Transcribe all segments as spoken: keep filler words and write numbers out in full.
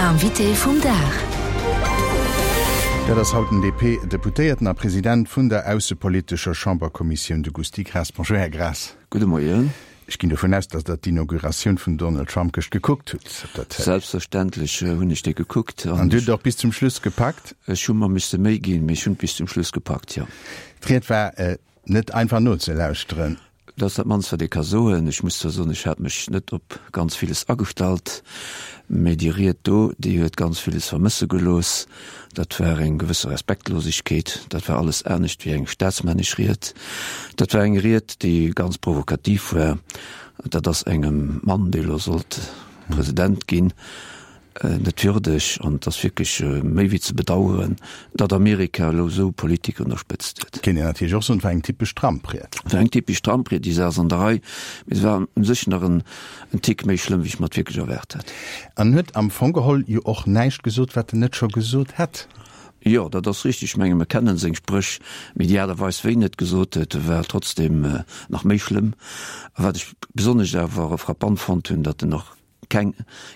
Invité vum Dag. Dat ass haut den D P-Deputéierten a President vun der aussepolitescher Chamberkommissioun, de Gusty Graas. Bonjour, Här Graas. Gudde Moien. Ech ginn dovun aus, datt Der d'Inauguratioun vum Donald Trump gëscht gekuckt hutt op der Télé. Selbstverständlech hunn ech déi gekuckt. An Dir hutt et och bis zum Schluss gepackt? Ech hu mer misse Méi ginn, mee ech hunn et bis zum Schluss gepackt, jo. D'Ried war net einfach nozelauschteren. Dat ass dat mannst, wat ee ka soen. Ech muss zwar soen, ech hat mech net op ganz villes agestallt, mee déi Ried do, déi huet ganz villes vermësse gelooss. Dat war eng gewësse Respektlosegkeet, dat war alles anescht wéi eng staatsmännesch Ried. Dat war eng Ried, déi ganz provokativ war. Dat ass engem Mann, dee elo sollt President ginn, net würdeg an et ass wierklech méi wéi ze bedauern, datt Amerika elo esou Politiker un der Spëtzt huet. Kéint een natierlech och soen, et war eng typesch Trump-Ried. Et war eng typesch Trump-Ried, déi Saach ass an der Rei, mee se war u sech nach en Tick méi schlëmm, wéi ech mer et wierklech erwaart hat. An huet am Fong geholl jo och näischt gesot, wat en net scho gesot hätt. Jo, dat ass richtig. Ech menge mer kennen seng Spréch, mee déi Aart a Weis, wéi en et gesot huet, war trotzdem nach méi schlëmm. A wat ech besonnesch awer frappant fonnt hunn, datt en och keng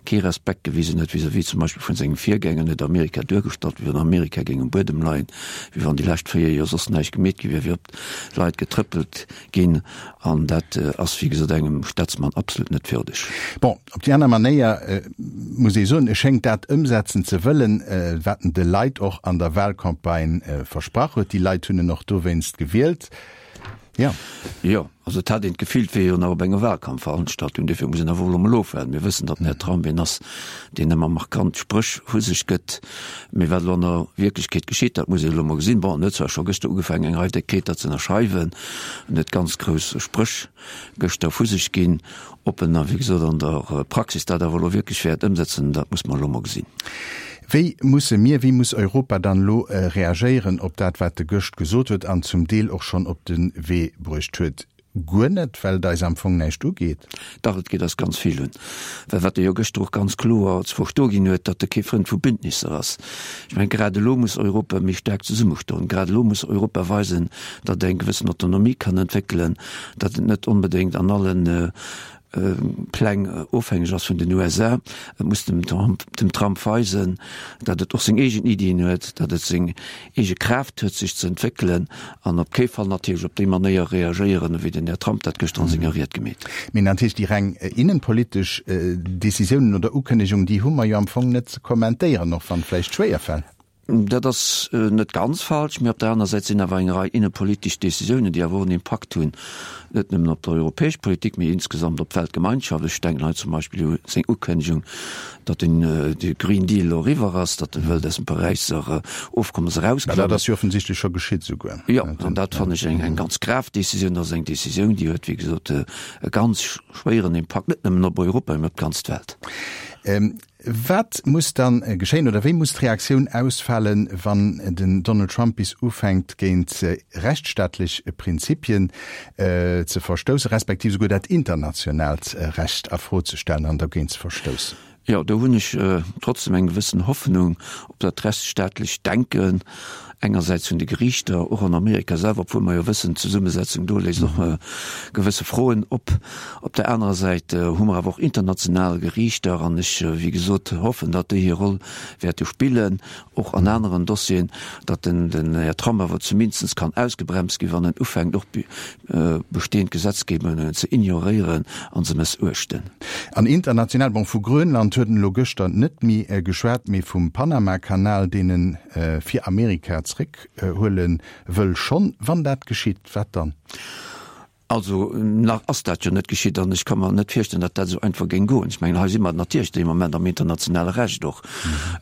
kee Respekt gewisen huet vis-à-vis zum Beispill vun sengem Virgänger, en huet Amerika duergestallt, wéi wann Amerika géing um Buedem leien, wéi wann déi lescht véier Joer soss näischt gemeet gi wier, wéi op d'Leit getrëppelt ginn, an dat ass, wéi gesot, engem Staatsmann absolut net würdeg. Bon, op déi aner Manéier muss ee soen, e schéngt dat ëmsetzen ze wëllen, wat en de Leit och an der Wahlcampagne versprach huet. Déi Leit hunn en och dowéinst gewielt. Ja. Jo, also et hat een d'Gefill, et wier jo nach op enger Wahlkampfveranstaltung, dofir muss een awer elo emol ofwaarden. Mir wëssen, datt den Här Trump een ass, deen ëmmer markant Spréch vu sech gëtt, mee wat elo an der Wierklechkeet geschitt, dat muss een elo emol gesinn. Bon, en huet zwar scho gëschter ugefaangen, eng Rei Dekreter ze ënnerschreiwen, en huet ganz grouss Spréch gëschter vu sech ginn. Ob en da, wéi gesot, an der Praxis dat awer elo wierklech wäert ëmsetzen, dat muss mer elo emol gesinn. Wéi musse mir, wéi muss Europa dann elo reagéieren op dat, wat e gëscht gesot huet an zum Deel och schonn op de Wee bruecht huet? Guer net, well et eis am Fong näischt ugeet? Dach, et geet eis ganz vill un. Well wat e jo gëschter och ganz kloer ze verstoe ginn huet, datt e kee Frënd vu Bündnisser ass. Ech mengen, grad elo muss Europa méi staark zesummestoen. Grad elo muss Europa weisen, datt et eng gewëssen Autonomie kann entwéckelen, datt et net onbedéngt an allen Pläng ofhängeg ass vun den U S A. Et muss dem Trump, dem Trump weisen, datt et och seng eegen Iddien huet, datt et seng eege Kraaft huet, sech ze entwéckelen an op kee Fall natierlech op déi Manéier reagéieren, wéi den Här Trump dat gëschter an senger Ried gemeet huet. Mee natierlech déi reng innenpolitesch Decisiounen oder Ukënnegungen, déi hu mer jo am Fong net ze kommentéieren, och wann et vläicht schwéier fält. Dat ass net ganz falsch, mee op der aner Säit sinn awer eng Rei innepolitesch Decisiounen, déi awer och en Impakt hunn, net nëmmen op d'europäesch Politik, mee insgesamt op d'Weltgemeinschaft. Ech denken hei zum Beispill u seng Ukënnegung, datt den de Green Deal elo eriwwer ass, datt e wëllt aus dem Paräisser Ofkommes erausklammen. Dat ass jo offensichtlech scho geschitt esouguer. Jo, an dat fannen ech eng eng ganz grav Decisioun. Dat ass eng Decisioun, déi huet, wéi gesot, e ganz schwéieren Impakt, net nëmmen op Europa, mee op d'ganz Welt. Wat muss dann geschéien oder wéi muss d'Reaktioun ausfalen, wann den Donald Trump bis ufänkt géint rechtsstaatlech Prinzipien ze verstoussen, respektiv esouguer dat internationaalt Recht a Fro ze stellen an dergéint ze verstoussen? Jo, do hunn ech trotzdem eng gewëssen Hoffnung op dat rechtsstaatlecht Denken engersäits vun de Geriichter, och an Amerika selwer, obwuel mer jo wëssen, d'Zesummesetzung do léisst och gewësse Froen op. Op der anerer Säit hu mer awer och international Geriichter an ech, wéi gesot, hoffen, datt déi hir Roll wäerte spillen, och an aneren Dossieren, datt den Här Trump awer zumindest kann ausgebremst ginn, wann en ufänkt och bestehend Gesetzgebungen ze ignoréieren an ze mëssuechten. An international, bon, vu Grönland huet en elo gëschter net méi geschwat, mee vum Panama-Kanal, deen en fir Amerika zréckhuele wëll schonn. Wann dat geschitt, wat dann? Also nach ass dat jo net geschitt an ech ka mer net virstellen, datt dat esou einfach géing goen. Ech mengen, hei si mer natierlech dee Moment am internationale Recht och.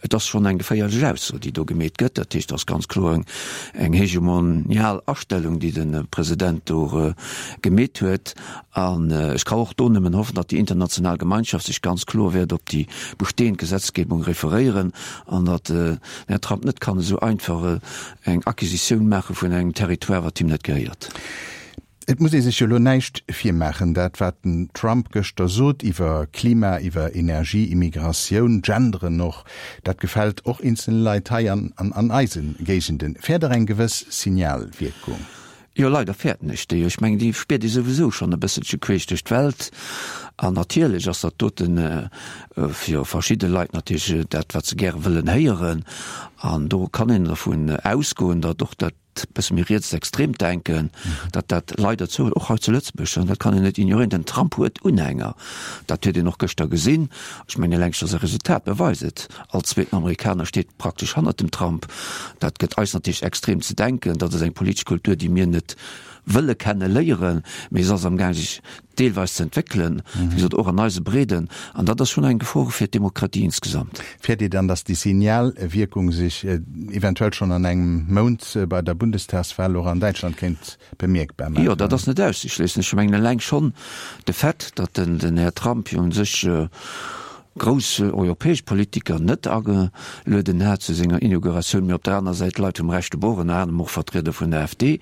Et ass schonn eng geféierlech Ausso, déi do gemeet gëtt. Dat heescht, et ass ganz kloer eng, eng hegemonial Astellung, déi de President do gemeet huet. An ech ka och do nëmmen hoffen, datt déi international Gemeinschaft sech ganz kloer wäert op déi bestehend Gesetzgebung referéieren an datt den Här Trump net kann esou einfach eng Acquisitioun maache vun engem Territoire, wat him net gehéiert. Et muss ee sech jo elo näischt virmaachen, dat wat den Trump gëschter sot iwwer Klima, iwwer Energie, Immigratioun, Genderen och, dat gefält och eenzelne Leit hei an an eise Géigenden. Fäert Der eng gewëss Signalwierkung? Jo, leider fäerten ech déi. Ech mengen, déi spiert ee souwisou schonn e bësselche queesch duerch d'Welt. An natierlech ass dat doten fir verschidde Leit natierlech dat, wat se gäre wëllen héieren. An do kann een dervun ausgoen, datt och dat bësse méi rietsextreemt Denken, datt dat leider zouhëlt, och hei zu Lëtzebuerg. An dat kann een net ignoréieren. Den Trump huet Unhänger. Dat huet een och gëschter gesinn. Ech mengen, eleng scho säi Resultat beweist et. All zweeten Amerikaner steet praktesch hannert dem Trump. Dat gëtt eis natierlech extrem ze denken. Dat ass eng politesch Kultur, déi mir net wëlle kenne léieren, mee se ass amgaang sech deelweis ze entwéckelen, wéi gesot och an eise Breeden. An dat ass schonn eng Gefor fir d'Demokratie insgesamt. Fäert Dir dann, datt déi Signalwierkung sech eventuell schonn an engem Mount bei der Bundestagswahl och an Däitschland kéint bemierkbar maachen? Jo, dat ass net auszeschléissen. Ech mengen eleng schonn de Fait, datt den Här Trump jo u sech grouss europäesch Politiker net agelueden hat zu senger Inauguratioun, mee op der aner Säit Leit vum rechte Bord, ënner anerem och Vertrieder vun der AfD.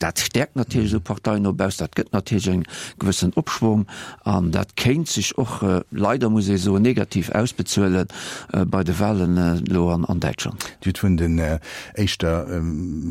Dat stäerkt natierlech esou Parteien no baussen, dat gëtt natierlech eng gewëssen Opschwong an dat kéint sech och, leider muss ee soen, negativ ausbezuele bei de Wahlen elo an Däitschland. Dir hutt vun den éischter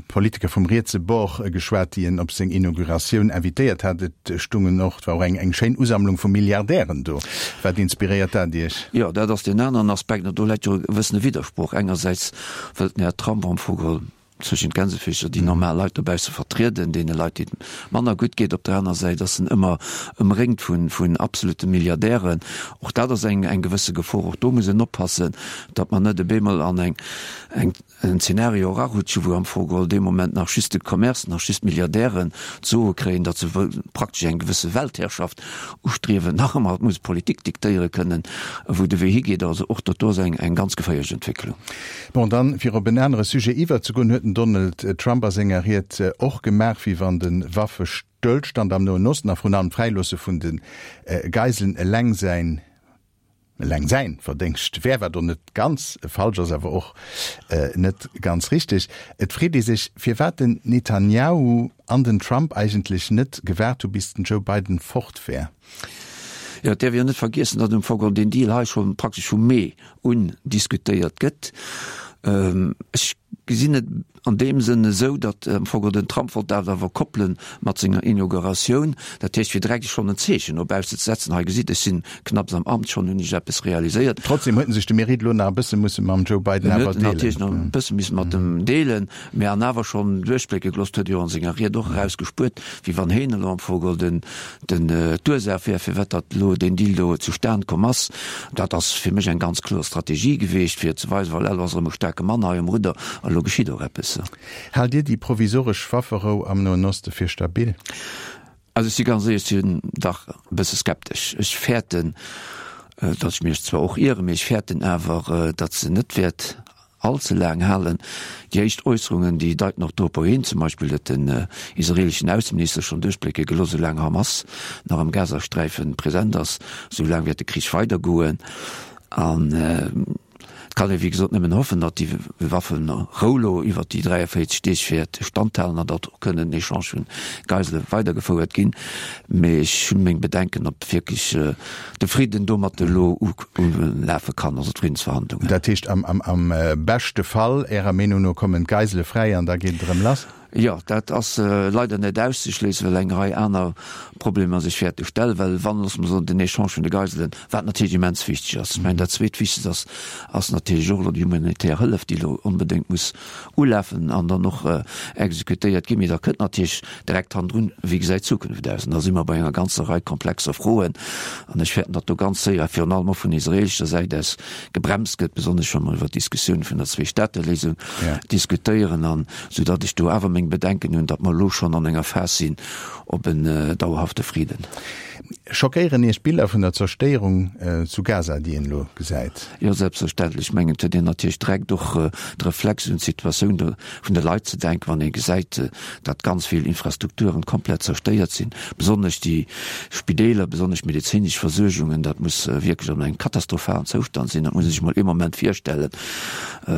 Politiker vum rietse Bord geschwat, déi en op seng Inauguratioun invitéiert hat. Et stungen och, et war och eng schéin Usammlung vu Milliardären do. Wat inspiréiert dat Iech? Jo, dat ass deen aneren Aspekt, an do läit jo e gewëssene Widdersproch. Engersäits wëllt den Här Trump am Fong geholl zwëschen d'Gänsefüßcher déi normal Leit dobausse vertrieden, deene Leit, déi et manner gutt geet. Op der aner Säit ass en ëmmer ëmréngt vun, vun absolute Milliardären. Och dat ass eng, eng gewësse Gefor. Och do muss een oppassen, datt mer net op eemol an eng, eng, en Zeenario erarutschen, wou am Fong geholl dee Moment nach just de Commerce, nach just d'Milliardären d'Soe kréien, datt se praktesch eng gewësse Weltherrschaft ustriewen. Nach ëmmer, et muss d'Politik diktéiere kënnen, wou de Wee higeet. Also och dat do ass eng, eng ganz geféierlech Entwécklung. Bon, dann, fir op en anere Sujet iwwerzegoen, huet den Donald Trump a senger Ried och gemaach, wéi wann de Waffestëllstand am Noen Osten a vrun allem d'Fräiloosse vun de Geiselen eleng säin, eleng säin Verdéngscht wär, wat och net ganz falsch ass, awer och net ganz richteg. Et freet ee sech, firwat den Netanjahu an den Trump eigentlech net gewaart hu bis den Joe Biden fort wär. Jo, et däerf een jo net vergiessen, datt um Fong deen Deal hei scho praktesch vum Mee un diskutéiert gëtt. Ech gesinn et an deem Sënn esou, datt am Fong den Trump wollt dat awer koppele mat senger Inauguratioun, dat heescht fir direkt schonn en Zeechen no bausse ze setzen, hei gesitt, ech sinn knapps am Amt, schonn hunn ech eppes realiséiert. Trotzdem huet en sech de Mérite elo nach e bësse musse mam Joe Biden awer deelen. En huet en natierlech nach e bësse misse mat em deelen, mä an awer schonn duerchblécke gelooss, huet e jo an senger Ried och erausgespuert, wéi wann heen elo am Fong den den d'Ursaach wär, firwat datt elo deen Deal do zustan komm ass. Dat ass fir mech eng ganz kloer Strategie geweecht, fir ze weisen, voilà, elo ass erëm e staarke Mann hei um Rudder a elo geschitt och eppes. Haalt Dir déi provisoresch Wafferou am Noen Oste fir stabil? Also ech si ganz éierlech, ech sinn dach e bësse skeptesch. Ech fäerten, datt ech mech zwar och ieren, mee ech fäerten awer, datt se net wäert all ze laang halen. Déi éischt Äusserungen, déi deiten och dorop hin, zum Beispill huet den israeleschen Ausseminister schonn duerchblécke gelooss, esou laang Hamas nach am Gazasträife present ass, esou laang wäert de Krich weidergoen. An et kann ee wéi gesot nëmmen hoffen, datt déi Wafferou lo iwwert déi dräiavéierzeg Deeg wäert standhalen an datt och kënnen den Echange vun Geisele weidergefouert ginn. Mee ech hu meng Bedenken, ob wierklech de Fridden domat elo ulafe kann, also d'Friddensverhandlungen. Dat heescht, am beschte Fall, Ärer Meenung no, kommen d'Geisele fräi an da geet et erëm lass? Jo, dat ass leider net auszeschléissen, well eng Rei aner Problemer sech wäerte stellen, well wann, loosse mer soen, den Echange vun de Geiselen, wat natierlech immens wichteg ass, ech mengen dat Zweetwichtegst ass, ass natierlech och elo déi humanitär Hëllef, déi elo onbedéngt muss ulafen an dann och exekutéiert ginn. Mee da kënnt natierlech direkt hannendrun, Wéi gesäit d'Zukunft aus? An da si mer bei enger ganzer Rei komplexer Froen. An ech fäerten, datt do ganz séier, virun allem och vun israeelescher Säit aus, gebremst gëtt, besonnesch wa mer iwwert d'Diskussioun vun der Zweestaateléisung diskutéieren, an soudatt ech do awer meng Bedenken hunn, datt mer elo schonn an enger Phas sinn op en dauerhafte Friden. Schockéieren Iech d'Biller vun der Zerstéierung zu Gaza, déi een elo gesäit? Jo, selbstverständlech. Ech mengen, et huet een natierlech direkt och de Reflex un d'Situatioun vun de Leit ze denken, wann ee gesäit, datt ganz vill Infrastrukturen komplett zerstéiert sinn, besonnesch déi Spideeler, besonnesch d'medezinesch Versuergungen, dat muss wierklech an engem katastrophalen Zoustand sinn. Dat muss ee sech mol ee Moment virstellen,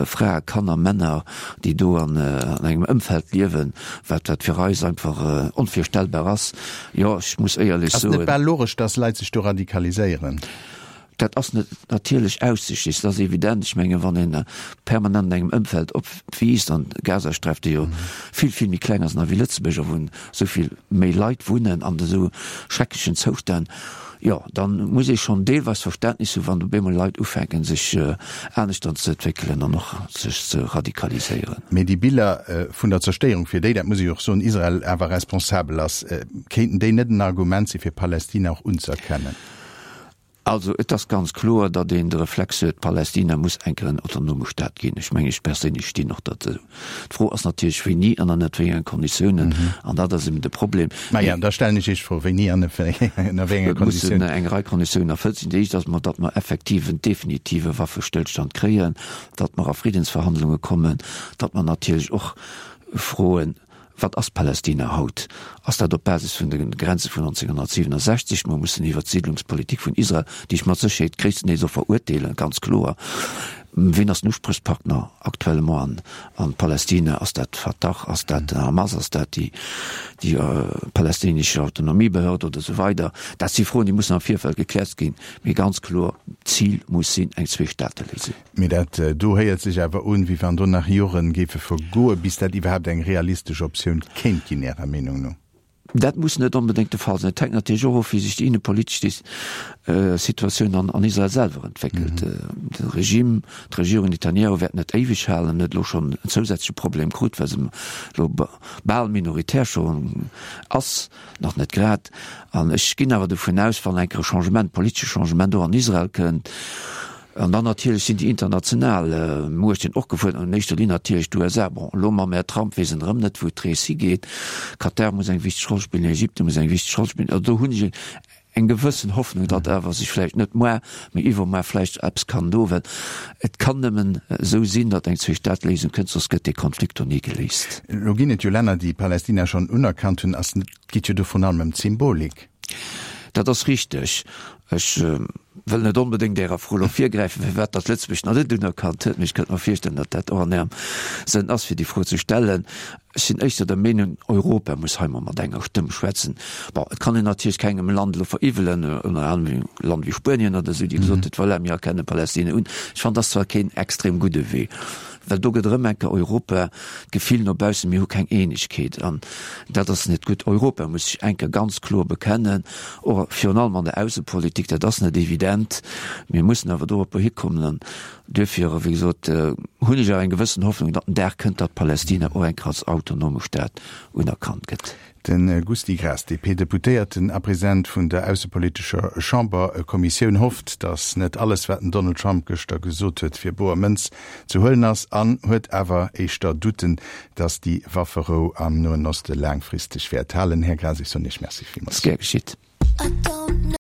Frae, Kanner, Männer, déi do an engem Ëmfeld liewen, wat wat fir eis einfach onvirstellbar ass. Jo, ech muss éierlech soen. Ass et net bal logesch, datt Leit sech do radikaliséieren? Dat ass net natierlech auszeschliessen, dat ass evident. Ech mengen, wann een permanent an engem Ëmfeld opwiisst, an d'Gazasträif, déi jo vill, vill méi kleng ass nach wéi Lëtzebuerg, a wou esou vill méi Leit wunnen an esou schrecklechen Zoustänn, jo, dann muss ee schonn deelweis Verständnis hu wann op eemol Leit ufänken sech aneschters ze entwéckelen an och sech ze radikaliséieren. Mee déi Biller vun der Zerstéierung, fir déi, dat muss ech och soen, Israel awer responsabel ass, kéinten déi net en Argument si fir Palästina och unzëerkennen? Also et ass ganz kloer, datt een de Reflex huet, Palästina muss eng Kéier en autonome Staat ginn. Ech mengen, ech perséinlech stinn och derzou. D'Fro ass natierlech, wéini an ënner wéi engen Konditiounen. An dat ass eben de Problem. Maja, da stellen ech Iech d'Fro, wéini an ënner wéi enge Et mussen eng Rei Konditiounen erfëllt sinn. Déi éischt ass emol, datt mer effektiv en definitive Waffestëllstand kréien, datt mer a Friddensverhandlunge kommen, datt mer natierlech och froen, Wat ass Palästina haut? Ass dat op Basis vun de Grenze vun nonzénghonnertsiwwenundsechzeg? Mer mussen iwwert d'Siedlungspolitik vun Israel, déi ech mat Sécherheet gréisstendeels och verurteelen, ganz kloer. Wien ass den Usprichspartner actuellement an Palästina? Ass dat d'Fatah? Ass dat Hamas? Ass dat déi palästinesch Autonomiebehörd oder esou weider? Dat si Froen, déi mussen am Virfeld gekläert ginn. Mee ganz kloer, d'Zil muss sinn eng Zweestaateléisung. Mee dat do héiert sech awer un, wéi wann do nach Joren géife vergoen, bis dat iwwerhaapt eng realistesch Optioun kéint ginn, Ärer Meenung no? Dat muss net onbedéngt de Fall sinn. Et hänkt natierlech och of, wéi sech déi innepolitesch Situatioun an Israel selwer entwéckelt. De Regime, d'Regierung Netanjahu wäert net éiweg halen, huet elo schonn en zousätzleche Problem krut, well se elo bal minoritär schonn ass, nach net grad. An ech ginn awer dovun aus, wann eng Kéier e Changement, politesche Changement och an Israel kënnt, an dann natierlech sinn déi international Muechten och gefuerdert, an éischter Linn natierlech d'USA. Bon, elo mam Här Trump weess een erëm net, wou d'Rees higeet. Katar muss eng wichteg Roll spillen, Ägypten muss eng wichteg Roll spillen. Also do hunn ech eng gewëssen Hoffnung, datt awer sech vläicht net muar, mee iwwermuar vläicht eppes kann doen, well et kann nëmmen esou sinn, datt eng Zweestaateléisung kënnt, soss gëtt dee Konflikt do ni geléist. Elo ginn et jo Länner, déi Palästina schonn unerkannt hunn. Ass net, et geet jo do vrun allem ëm d'Symbolik. Dat ass richteg. Ech wëll net onbedéngt Ärer Fro elo virgräifen, firwat datt Lëtzebuerg nach net unerkannt huet, mee ech kënnt mer virstellen, datt dat och an Ärem Sënn ass, fir déi Fro ze stellen. Ech sinn éischter der Meenung, Europa muss hei mol mat enger Stëmm schwätzen. Bon, et kann een natierlech kengem Land elo veriwwelen, ënner anerem e Land wéi Spuenien oder esou, déi gesot huet, voilà, mir erkenne Palästina un. Ech fannen, dat ass zwar keen extrem gudde Wee, well do gëtt erëm eng Kéier Europa d'Gefill no baussen, mir hu keng Eenegkeet, an dat ass net gutt. Europa muss sech eng Kéier ganz kloer bekennen, och virun allem an der Aussepolitik. Dat ass net evident, mir mussen awer doropper hikommen. An duerfir, wéi gesot, hunn ech awer eng gewëssen Hoffnung, datt den Dag kënnt, datt Palästina och eng Kéier als autonome Staat unerkannt gëtt. De Gusty Graas, D P-Deputéierten a President vun der aussepolitescher Chamberkommissioun, hofft, datt net alles, wat den Donald Trump gëschter gesot huet, fir boer Mënz ze huelen ass an huet awer éischter Doutten, datt déi Wafferou am Noen Oste laangfristeg wäert halen. Här Graas, ech soen Iech Merci villmools. Gär geschitt.